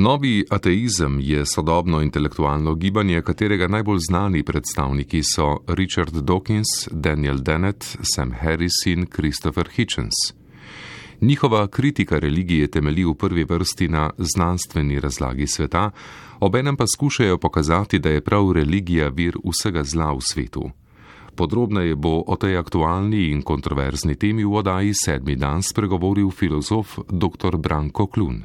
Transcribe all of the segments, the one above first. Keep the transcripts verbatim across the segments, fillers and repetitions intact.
Novi ateizem je sodobno intelektualno gibanje, katerega najbolj znani predstavniki so Richard Dawkins, Daniel Dennett, Sam Harris in Christopher Hitchens. Njihova kritika religije temelji v prvi vrsti na znanstveni razlagi sveta, obenem pa skušajo pokazati, da je prav religija vir vsega zla v svetu. Podrobneje bo o tej aktualni in kontroverzni temi v oddaji Sedmi dan spregovoril filozof dr. Branko Klun.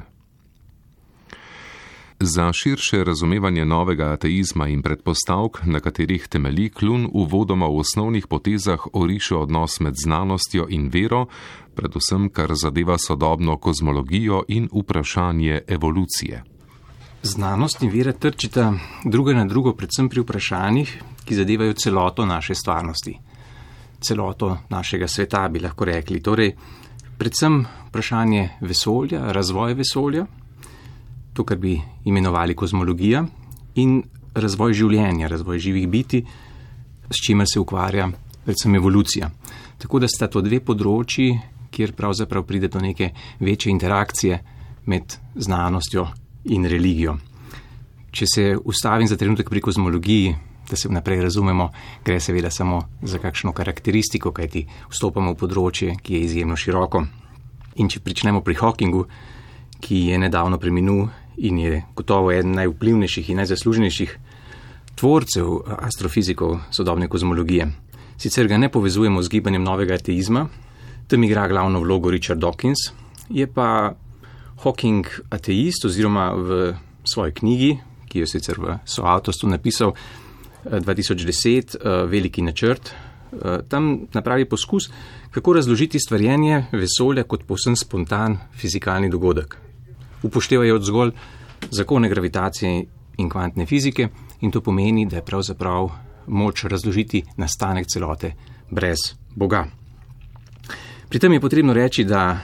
Za širše razumevanje novega ateizma in predpostavk, na katerih temelji, Klun uvodoma v osnovnih potezah oriše odnos med znanostjo in vero, predvsem kar zadeva sodobno kozmologijo in vprašanje evolucije. Znanost in vera trčita druga na drugo predvsem pri vprašanjih, ki zadevajo celoto naše stvarnosti. Celoto našega sveta, bi lahko rekli. Torej, predvsem vprašanje vesolja, razvoj vesolja, to, kar bi imenovali kozmologija, in razvoj življenja, razvoj živih bitij, s čimer se ukvarja predvsem evolucija. Tako da sta to dve področji, kjer pravzaprav pride do neke večje interakcije med znanostjo in religijo. Če se ustavim za trenutek pri kozmologiji, da se naprej razumemo, gre seveda samo za kakšno karakteristiko, kajti vstopamo v področje, ki je izjemno široko. In če pričnemo pri Hawkingu, ki je nedavno preminul in je gotovo eden najvplivnejših in najzaslužnejših tvorcev astrofizikov sodobne kozmologije. Sicer ga ne povezujemo z gibanjem novega ateizma, tam igra glavno vlogo Richard Dawkins, je pa Hawking ateist oziroma v svoji knjigi, ki jo sicer v soavtorstvu napisal dva tisoč deset, Veliki načrt, tam napravi poskus, kako razložiti stvarjenje vesolja kot povsem spontan fizikalni dogodek. Upoštevajo zgolj zakone gravitacije in kvantne fizike in to pomeni, da je pravzaprav moč razložiti nastanek celote brez Boga. Pri tem je potrebno reči, da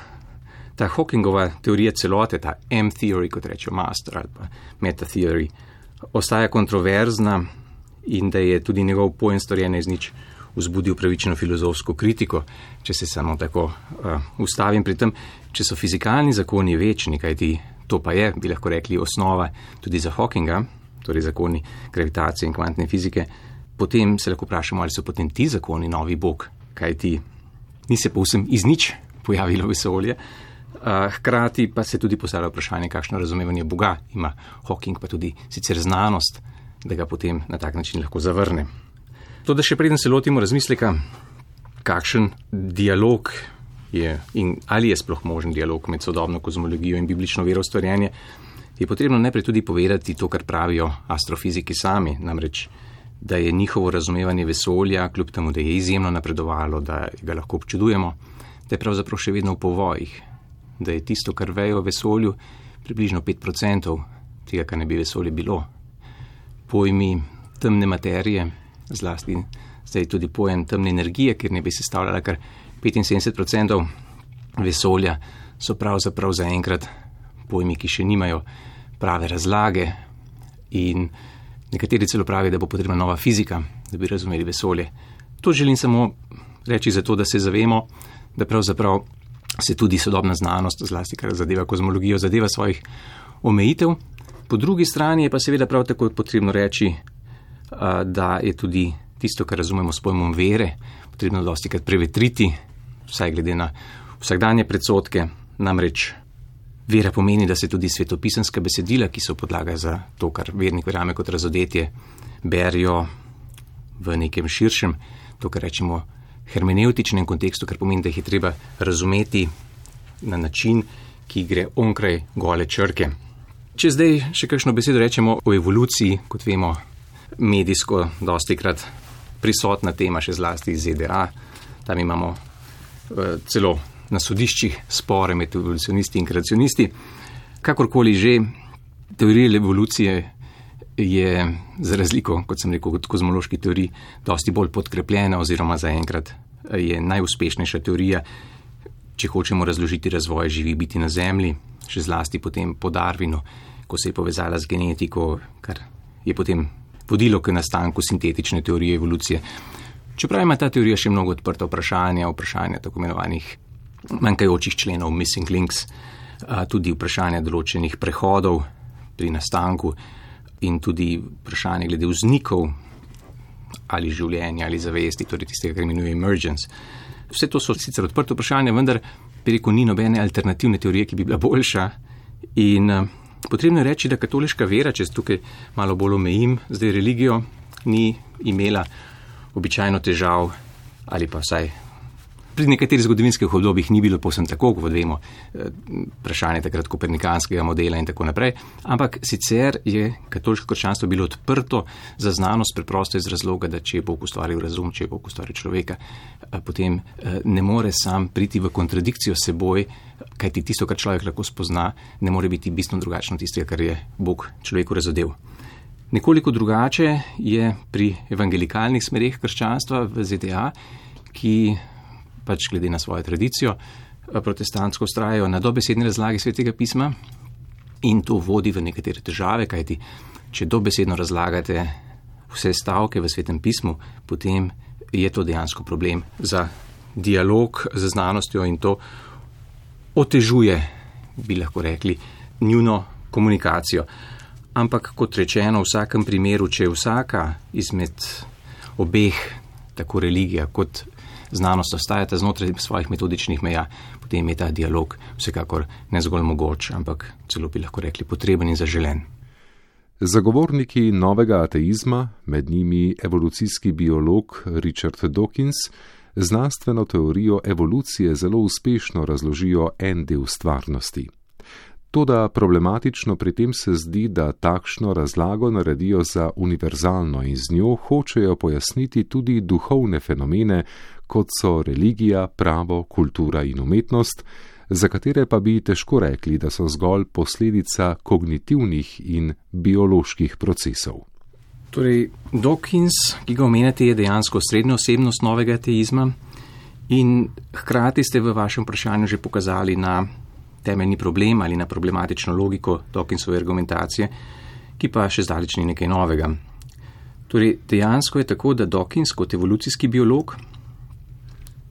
ta Hawkingova teorija celote, ta M-theory, kot rečejo master ali pa meta-theory, ostaja kontroverzna in da je tudi njegov pojem storjenja iz nič vzbudil pravično filozofsko kritiko, če se samo tako uh, ustavim pri tem, če so fizikalni zakoni večni, kajti to pa je, bi lahko rekli, osnova tudi za Hawkinga, torej zakoni gravitacije in kvantne fizike, potem se lahko vprašamo, ali so potem ti zakoni novi Bog, kajti ni se povsem iz nič pojavilo vesolje, uh, hkrati pa se tudi postavlja vprašanje, kakšno razumevanje Boga ima Hawking, pa tudi sicer znanost, da ga potem na tak način lahko zavrne. To, da še preden se lotimo razmisleka, kakšen dialog je in ali je sploh možen dialog med sodobno kozmologijo in biblično veroustvarjanje, je potrebno najprej tudi povedati to, kar pravijo astrofiziki sami, namreč, da je njihovo razumevanje vesolja, kljub temu, da je izjemno napredovalo, da ga lahko občudujemo, da je pravzaprav še vedno v povojih, da je tisto, kar vejo o vesolju, približno pet procentov tega, kar ne bi vesolje bilo. Pojmi temne materije, zlasti zdaj tudi pojem temne energije, ker ne bi sestavljala kar petinsedemdeset procentov vesolja, so pravzaprav zaenkrat pojmi, ki še nimajo prave razlage in nekateri celo pravijo, da bo potrebna nova fizika, da bi razumeli vesolje. To želim samo reči zato, da se zavemo, da pravzaprav se tudi sodobna znanost, zlasti kar zadeva kozmologijo, zadeva svojih omejitev. Po drugi strani je pa seveda prav tako potrebno reči, da je tudi tisto, kar razumemo s pojmom vere, potrebno dostikrat prevetriti, vsaj glede na vsakdanje predsodke. Namreč vera pomeni, da se tudi svetopisanska besedila, ki so podlaga za to, kar vernik verjame kot razodetje, berijo v nekem širšem, to, kar rečemo hermeneutičnem kontekstu, kar pomeni, da jih je treba razumeti na način, ki gre onkraj gole črke. Če zdaj še kakšno besedo rečemo o evoluciji, kot vemo, medijsko dostikrat prisotna tema še zlasti iz Z D A. Tam imamo uh, celo na sodiščih spore med evolucionisti in kreacionisti. Kakorkoli že, teorija evolucije je za razliko, kot sem rekel, od kozmoloških teorij, dosti bolj podkrepljena oziroma zaenkrat je najuspešnejša teorija, če hočemo razložiti razvoj živih bitij na Zemlji, še zlasti potem po Darwinu, ko se je povezala z genetiko, kar je potem vodilo k nastanku sintetične teorije evolucije. Čeprav ima ta teorija še mnogo odprta vprašanja, vprašanja tako imenovanih manjkajočih členov, missing links, tudi vprašanja določenih prehodov pri nastanku in tudi vprašanje glede vznikov ali življenja ali zavesti, torej tistega, kar imenuje emergence. Vse to so sicer odprte vprašanja, vendar bi rekel, ni nobene alternativne teorije, ki bi bila boljša. In uh, potrebno je reči, da katoliška vera, če tukaj malo bolj omejim, zdaj religijo, ni imela običajno težav ali pa vsaj pri nekaterih zgodovinskih obdobjih ni bilo povsem tako, kot vemo, vprašanje takrat kopernikanskega modela in tako naprej, ampak sicer je katoliško krščanstvo bilo odprto za znanost preprosto iz razloga, da če je Bog ustvaril razum, če je Bog ustvaril človeka, potem ne more sam priti v kontradikcijo s seboj, kajti tisto, kar človek lahko spozna, ne more biti bistveno drugačno tistega, kar je Bog človeku razodel. Nekoliko drugače je pri evangelikalnih smereh krščanstva v Z D A, ki pač glede na svojo tradicijo protestantsko vztrajajo na dobesedni razlagi Svetega pisma in to vodi v nekatere težave, kajti če dobesedno razlagate vse stavke v Svetem pismu, potem je to dejansko problem za dialog z znanostjo in to otežuje, bi lahko rekli, njuno komunikacijo. Ampak kot rečeno, v vsakem primeru, če je vsaka izmed obeh, tako religija kot znanost ostajata znotraj svojih metodičnih meja, potem je ta dialog vsekakor ne zgolj mogoč, ampak celo bi lahko rekli potreben in zaželen. Zagovorniki novega ateizma, med njimi evolucijski biolog Richard Dawkins, znanstveno teorijo evolucije zelo uspešno razložijo en del stvarnosti. Toda problematično pri tem se zdi, da takšno razlago naredijo za univerzalno in z njo hočejo pojasniti tudi duhovne fenomene, kot so religija, pravo, kultura in umetnost, za katere pa bi težko rekli, da so zgolj posledica kognitivnih in bioloških procesov. Torej, Dawkins, ki ga omenjate, je dejansko srednja osebnost novega ateizma in hkrati ste v vašem vprašanju že pokazali na temeljni problem ali na problematično logiko Dawkinsove argumentacije, ki pa še zdaleč ni nekaj novega. Torej, dejansko je tako, da Dawkins kot evolucijski biolog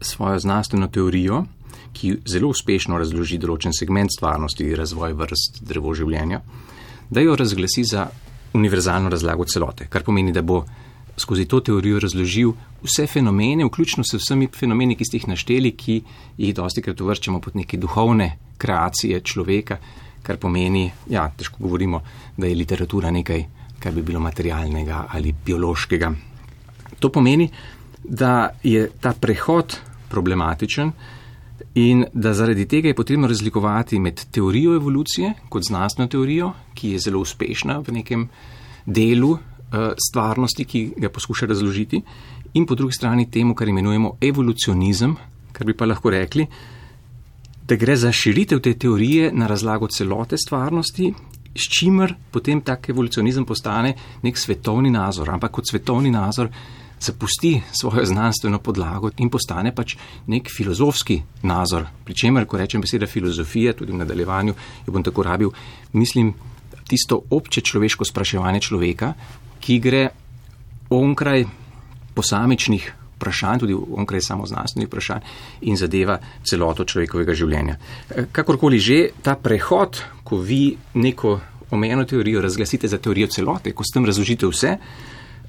svojo znanstveno teorijo, ki zelo uspešno razloži določen segment stvarnosti, razvoj vrst, drevo življenja, da jo razglasi za univerzalno razlago celote, kar pomeni, da bo skozi to teorijo razložil vse fenomene, vključno s vsemi fenomeni, ki ste jih našteli, ki jih dostikrat uvrščamo pod neke duhovne kreacije človeka, kar pomeni, ja, težko govorimo, da je literatura nekaj, kar bi bilo materialnega ali biološkega. To pomeni, da je ta prehod problematičen in da zaradi tega je potrebno razlikovati med teorijo evolucije kot znanstveno teorijo, ki je zelo uspešna v nekem delu stvarnosti, ki ga poskuša razložiti, in po drugi strani temu, kar imenujemo evolucionizem, kar bi pa lahko rekli, da gre za širitev te teorije na razlago celote stvarnosti, s čimer potem tak evolucionizem postane nek svetovni nazor, ampak kot svetovni nazor zapusti svojo znanstveno podlago in postane pač nek filozofski nazor. Pričemer, ko rečem beseda filozofija, tudi v nadaljevanju, jo bom tako rabil, mislim tisto obče človeško spraševanje človeka, ki gre onkraj posamičnih vprašanj, tudi onkraj samoznanstvenih vprašanj in zadeva celoto človekovega življenja. Kakorkoli že, ta prehod, ko vi neko omejeno teorijo razglasite za teorijo celote, ko s tem razložite vse,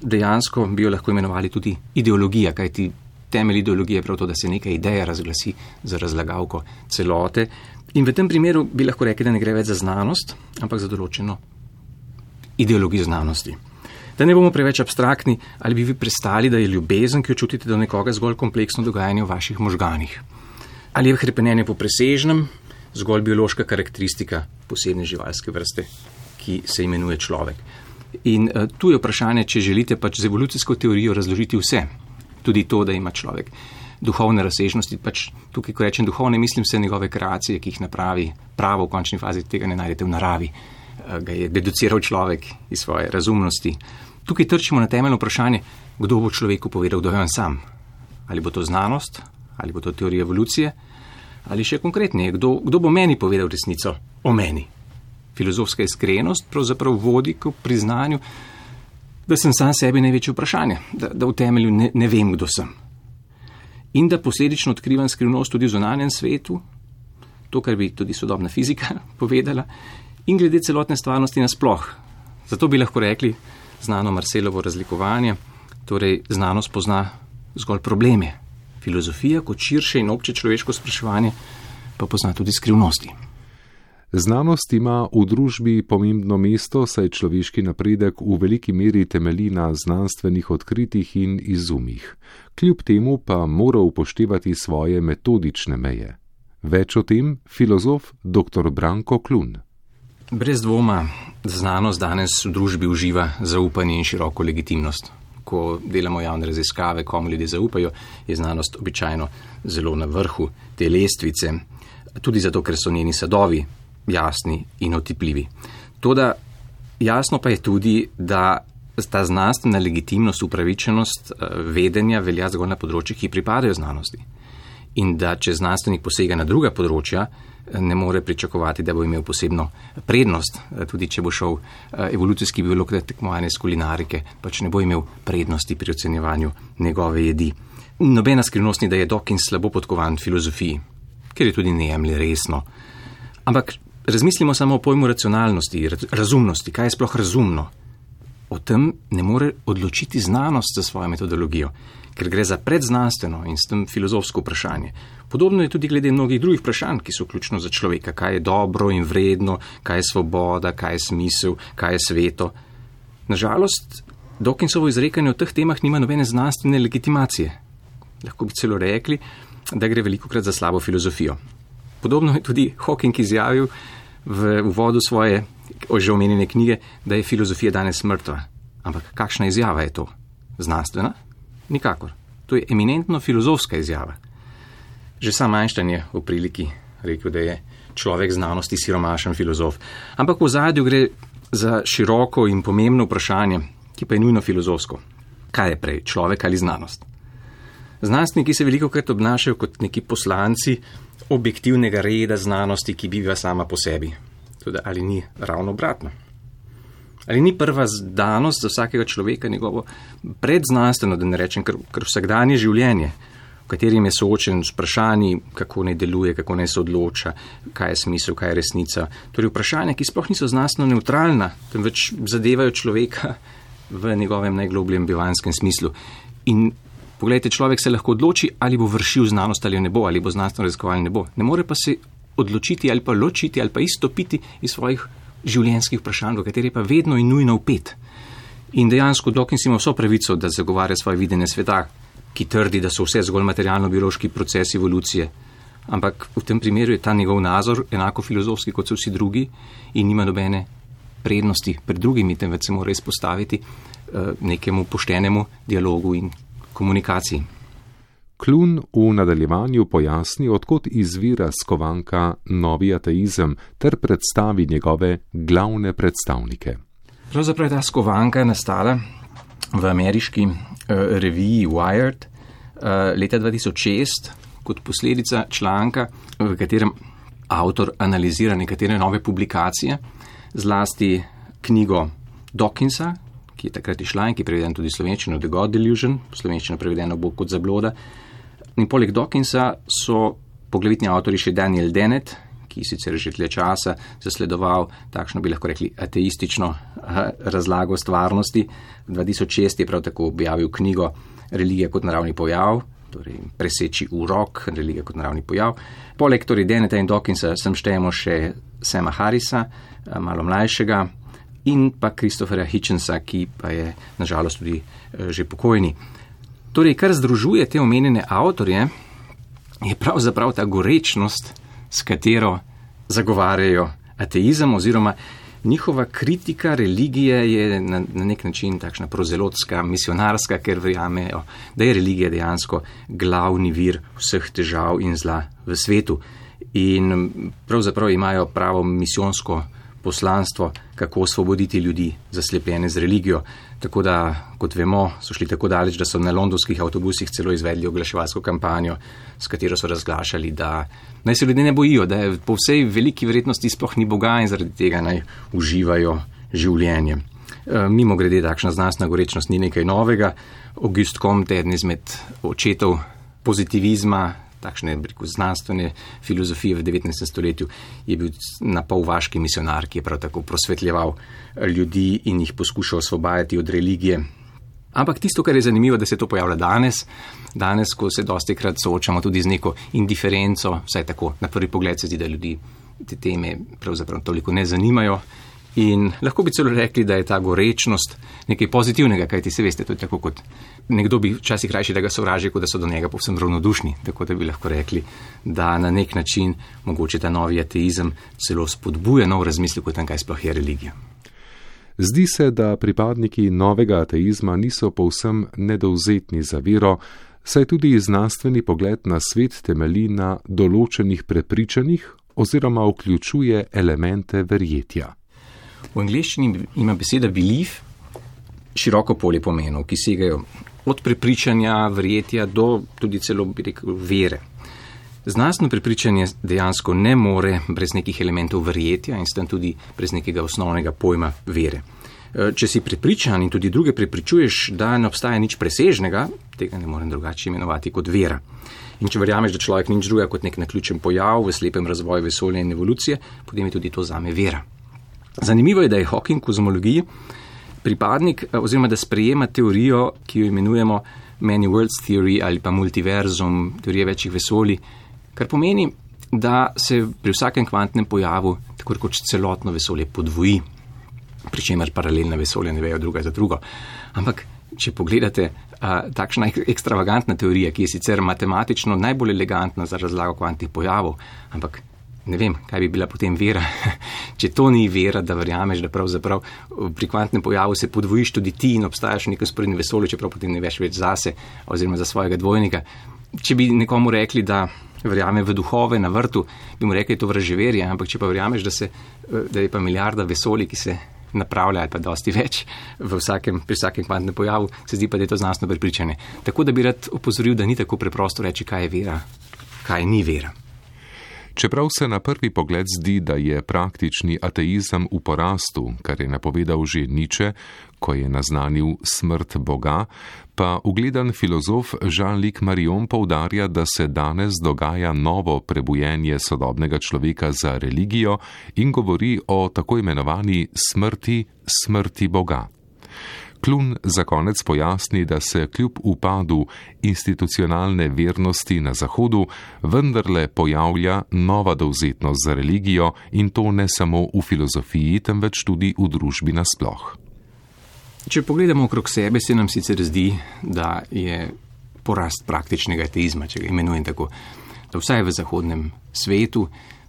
dejansko bi jo lahko imenovali tudi ideologija, kajti temelj ideologije je prav to, da se neka ideja razglasi za razlagavko celote. In v tem primeru bi lahko rekli, da ne gre več za znanost, ampak za določeno ideologijo znanosti. Da ne bomo preveč abstraktni, ali bi vi prestali, da je ljubezen, ki jo čutite do nekoga, zgolj kompleksno dogajanje v vaših možganih? Ali je hrepenenje po presežnem zgolj biološka karakteristika posebne živalske vrste, ki se imenuje človek? In uh, tu je vprašanje, če želite pač z evolucijsko teorijo razložiti vse. Tudi to, da ima človek duhovne razsežnosti, pač tukaj, ko rečem duhovne, mislim se njegove kreacije, ki jih napravi pravo v končni fazi, tega ne najdete v naravi. Uh, ga je deduciral človek iz svoje razumnosti. Tukaj trčimo na temeljno vprašanje, kdo bo človeku povedal, kdo je on sam. Ali bo to znanost, ali bo to teorija evolucije, ali še konkretneje, kdo, kdo bo meni povedal resnico o meni. Filozofska iskrenost pravzaprav vodi k priznanju, da sem sam sebi največje vprašanje, da, da v temelju ne, ne vem, kdo sem. In da posledično odkrivam skrivnost tudi v zunanjem svetu, to, kar bi tudi sodobna fizika povedala, in glede celotne stvarnosti nasploh. Zato bi lahko rekli znano Marcelovo razlikovanje, torej znanost pozna zgolj probleme. Filozofija kot širše in obče človeško spraševanje pa pozna tudi skrivnosti. Znanost ima v družbi pomembno mesto, saj človeški napredek v veliki meri temelji na znanstvenih odkritjih in izumih. Kljub temu pa mora upoštevati svoje metodične meje. Več o tem filozof dr. Branko Klun. Brez dvoma znanost danes v družbi uživa zaupanje in široko legitimnost. Ko delamo javne raziskave, komu ljudje zaupajo, je znanost običajno zelo na vrhu te lestvice, tudi zato, ker so njeni sadovi jasni in otipljivi. Toda jasno pa je tudi, da ta znanstvena legitimnost, upravičenost vedenja velja zgolj na področjih, ki pripadajo znanosti. In da če znanstvenik posega na druga področja, ne more pričakovati, da bo imel posebno prednost, tudi če bo šel evolucijski biolog na tekmovanje s kulinarike, pač ne bo imel prednosti pri ocenjevanju njegove jedi. Nobena skrivnost ni, da je Dawkins slabo podkovan v filozofiji, ker je tudi ne jemlje resno. Ampak razmislimo samo o pojmu racionalnosti, razumnosti, kaj je sploh razumno. O tem ne more odločiti znanost za svojo metodologijo, ker gre za predznanstveno in s tem filozofsko vprašanje. Podobno je tudi glede mnogih drugih vprašanj, ki so ključno za človeka, kaj je dobro in vredno, kaj je svoboda, kaj je smisel, kaj je sveto. Nažalost, Dawkinsovo izrekanje o teh temah nima nobene znanstvene legitimacije. Lahko bi celo rekli, da gre velikokrat za slabo filozofijo. Podobno je tudi Hawking izjavil v uvodu svoje že omenjene knjige, da je filozofija danes mrtva. Ampak kakšna izjava je to? Znanstvena? Nikakor. To je eminentno filozofska izjava. Že sam Einstein je v priliki rekel, da je človek znanosti siromašen filozof. Ampak v ozadju gre za široko in pomembno vprašanje, ki pa je nujno filozofsko. Kaj je prej, človek ali znanost? Znanstveniki se velikokrat obnašajo kot neki poslanci objektivnega reda znanosti, ki biva sama po sebi. Tudi ali ni ravno obratno? Ali ni prva danost za vsakega človeka njegovo predznanstveno, da ne rečem, kar, kar vsakdanje življenje, v katerim je soočen s vprašanji, kako naj deluje, kako naj se odloča, kaj je smisel, kaj je resnica. Torej vprašanja, ki sploh niso znanstveno nevtralna, temveč zadevajo človeka v njegovem najglobljem bivanskem smislu. In poglejte, človek se lahko odloči, ali bo vršil znanost ali ne bo, ali bo znanstveno raziskoval ali ne bo. Ne more pa se odločiti ali pa ločiti ali pa izstopiti iz svojih življenjskih vprašanj, v kateri je pa vedno in nujno vpet. In dejansko Dawkins ima vso pravico, da zagovarja svoje videnje sveta, ki trdi, da so vse zgolj materialno-biološki procesi evolucije. Ampak v tem primeru je ta njegov nazor enako filozofski kot so vsi drugi in nima nobene prednosti pred drugimi, temveč se mora izpostaviti uh, nekemu poštenemu dialogu in komunikaciji. Klun v nadaljevanju pojasni, odkot izvira skovanka Novi ateizem ter predstavi njegove glavne predstavnike. Pravzaprav je ta skovanka nastala v ameriški uh, reviji Wired uh, leta dva tisoč šest kot posledica članka, v katerem avtor analizira nekatere nove publikacije, zlasti knjigo Dawkinsa, ki je takrat išla in ki je prevedena tudi slovenščino The God Delusion, slovenščino prevedeno bo kot zabloda. In poleg Dawkinsa so poglavitni avtori še Daniel Dennett, ki sicer že dlje časa zasledoval takšno, bi lahko rekli, ateistično razlago stvarnosti. dva tisoč šest je prav tako objavil knjigo Religija kot naravni pojav, torej preseči urok, religija kot naravni pojav. Poleg torej Dennetta in Dawkinsa sem štejemo še Sama Harrisa, malo mlajšega, in pa Christophera Hitchensa, ki pa je nažalost tudi že pokojni. Torej, kar združuje te omenjene avtorje, je pravzaprav ta gorečnost, s katero zagovarjajo ateizem, oziroma njihova kritika religije je na, na nek način takšna prozelotska, misionarska, ker verjamejo, da je religija dejansko glavni vir vseh težav in zla v svetu. In pravzaprav imajo pravo misijonsko poslanstvo, kako osvoboditi ljudi zaslepljene z religijo. Tako da, kot vemo, so šli tako daleč, da so na londonskih avtobusih celo izvedli oglaševalsko kampanjo, s katero so razglašali, da naj se ljudje ne bojijo, da je po vsej veliki verjetnosti sploh ni Boga in zaradi tega naj uživajo življenje. E, mimo grede, takšna znanstvena gorečnost ni nekaj novega. Auguste Comte, eden izmed očetov pozitivizma, takšne rekel, znanstvene filozofije v devetnajstem stoletju, je bil na pol vaški misionar, ki je prav tako prosvetljeval ljudi in jih poskušal osvobajati od religije. Ampak tisto, kar je zanimivo, da se to pojavlja danes, danes, ko se dosti krat soočamo tudi z neko indiferenco, vsaj tako na prvi pogled se zdi, da ljudi te teme pravzaprav toliko ne zanimajo. In lahko bi celo rekli, da je ta gorečnost nekaj pozitivnega, kajti se veste, to je tako kot nekdo bi včasih rajši, da ga sovraži, kot da so do njega povsem ravnodušni. Tako da bi lahko rekli, da na nek način mogoče ta novi ateizem celo spodbuja nov razmislek o tem, kaj sploh je religija. Zdi se, da pripadniki novega ateizma niso povsem nedovzetni za vero, saj tudi znanstveni pogled na svet temelji na določenih prepričanjih oziroma vključuje elemente verjetja. V angleščini ima beseda belief široko polje pomenov, ki segajo od prepričanja, verjetja do tudi celo, bi rekel, vere. Znanstveno prepričanje dejansko ne more brez nekih elementov verjetja in s tem tudi brez nekega osnovnega pojma vere. Če si prepričan in tudi druge prepričuješ, da ne obstaja nič presežnega, tega ne morem drugače imenovati kot vera. In če verjameš, da človek nič druga kot nek naključen pojav v slepem razvoju vesolja in evolucije, potem je tudi to zame vera. Zanimivo je, da je Hawking v kozmologiji pripadnik oziroma da sprejema teorijo, ki jo imenujemo Many Worlds Theory ali pa multiverzum, teorije večjih vesolij, kar pomeni, da se pri vsakem kvantnem pojavu tako rekoč celotno vesolje podvoji, pri čemer paralelna vesolja ne vejo druga za drugo. Ampak, če pogledate, a, takšna ekstravagantna teorija, ki je sicer matematično najbolj elegantna za razlago kvantnih pojavov, ampak ne vem, kaj bi bila potem vera, če to ni vera, da verjameš, da pravzaprav pri kvantnem pojavu se podvojiš tudi ti in obstajaš v nekem sporednem vesolju, čeprav potem ne veš več zase oziroma za svojega dvojnika. Če bi nekomu rekli, da verjame v duhove na vrtu, bi mu rekli, to vraževerje, ampak če pa verjameš, da, se, da je pa milijarda vesolij, ki se napravlja ali pa dosti več v vsakem, pri vsakem kvantnem pojavu, se zdi pa, da je to znanstveno prepričanje. Tako da bi rad opozoril, da ni tako preprosto reči, kaj je vera, kaj ni vera. Čeprav se na prvi pogled zdi, da je praktični ateizem v porastu, kar je napovedal že Nietzsche, ko je naznanil smrt Boga, pa ugledan filozof Jean-Luc Marion poudarja, da se danes dogaja novo prebujenje sodobnega človeka za religijo in govori o tako imenovani smrti, smrti Boga. Klun za konec pojasni, da se kljub upadu institucionalne vernosti na Zahodu vendarle pojavlja nova dovzetnost za religijo in to ne samo v filozofiji, temveč tudi v družbi nasploh. Če pogledamo okrog sebe, se nam sicer zdi, da je porast praktičnega ateizma, če ga imenujem tako, da vsaj v zahodnem svetu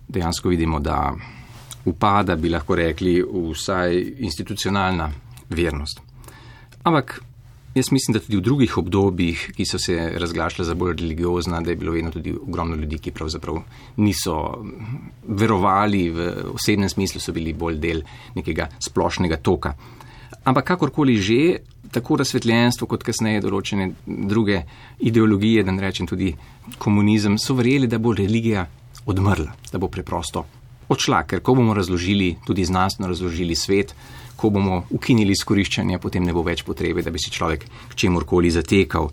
dejansko vidimo, da upada, bi lahko rekli, vsaj institucionalna vernost. Ampak jaz mislim, da tudi v drugih obdobjih, ki so se razglašala za bolj religiozna, da je bilo vedno tudi ogromno ljudi, ki pravzaprav niso verovali, v osebnem smislu so bili bolj del nekega splošnega toka. Ampak kakorkoli že, tako razsvetljenstvo kot kasneje določene druge ideologije, da ne rečem tudi komunizem, so verjeli, da bo religija odmrla, da bo preprosto odšla, ker ko bomo razložili, tudi znanstveno razložili svet, ko bomo ukinili izkoriščanje, potem ne bo več potrebe, da bi si človek k čemurkoli zatekal.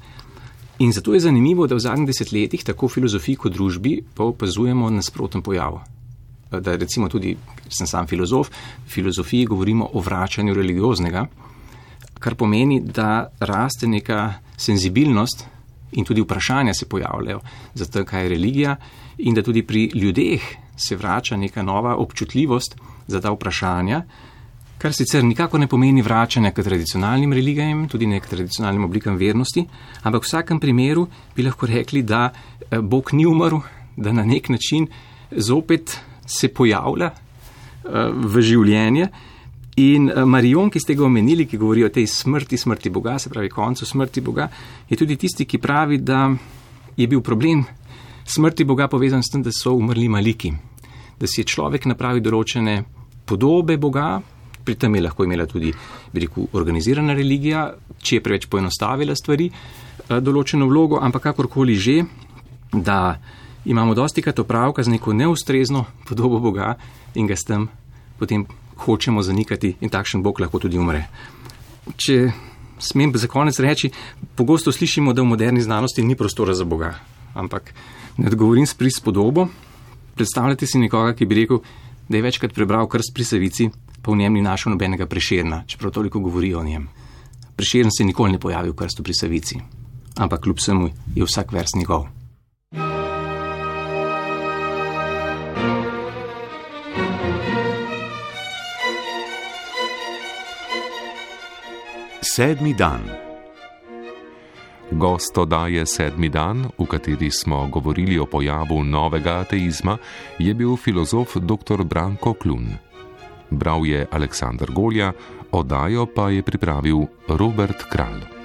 In zato je zanimivo, da v zadnjih desetletjih tako v filozofiji kot družbi pa opazujemo nasproten pojav. Da recimo tudi, sem sam filozof, v filozofiji govorimo o vračanju religioznega, kar pomeni, da raste neka senzibilnost in tudi vprašanja se pojavljajo za to, kaj je religija in da tudi pri ljudeh se vrača neka nova občutljivost za ta vprašanja, kar sicer nikako ne pomeni vračanja k tradicionalnim religijam, tudi ne k tradicionalnim oblikam vernosti, ampak v vsakem primeru bi lahko rekli, da Bog ni umrl, da na nek način zopet se pojavlja v življenje. In Marion, ki ste ga omenili, ki govori o tej smrti, smrti Boga, se pravi koncu smrti Boga, je tudi tisti, ki pravi, da je bil problem smrti Boga povezan s tem, da so umrli maliki, da si je človek napravil določene podobe Boga. Pri tem je lahko imela tudi, bi rekel, organizirana religija, če je preveč poenostavila stvari, določeno vlogo, ampak kakorkoli že, da imamo dostikrat opravka z neko neustrezno podobo Boga in ga s tem potem hočemo zanikati in takšen Bog lahko tudi umre. Če smem za konec reči, pogosto slišimo, da v moderni znanosti ni prostora za Boga. ampak ne odgovorim s prispodobo. Predstavljate si nekoga, ki bi rekel, da je večkrat prebral Krst pri Savici, pa v njem ni našel nobenega Prešerna, čeprav toliko govori o njem. Prešern se nikoli ne pojavi v Krstu pri Savici, ampak kljub vsemu je vsak vers njegov. Sedmi dan. Gost oddaje Sedmi dan, v kateri smo govorili o pojavu novega ateizma, je bil filozof dr. Branko Klun. Bral je Aleksander Golja, oddajo pa je pripravil Robert Kralj.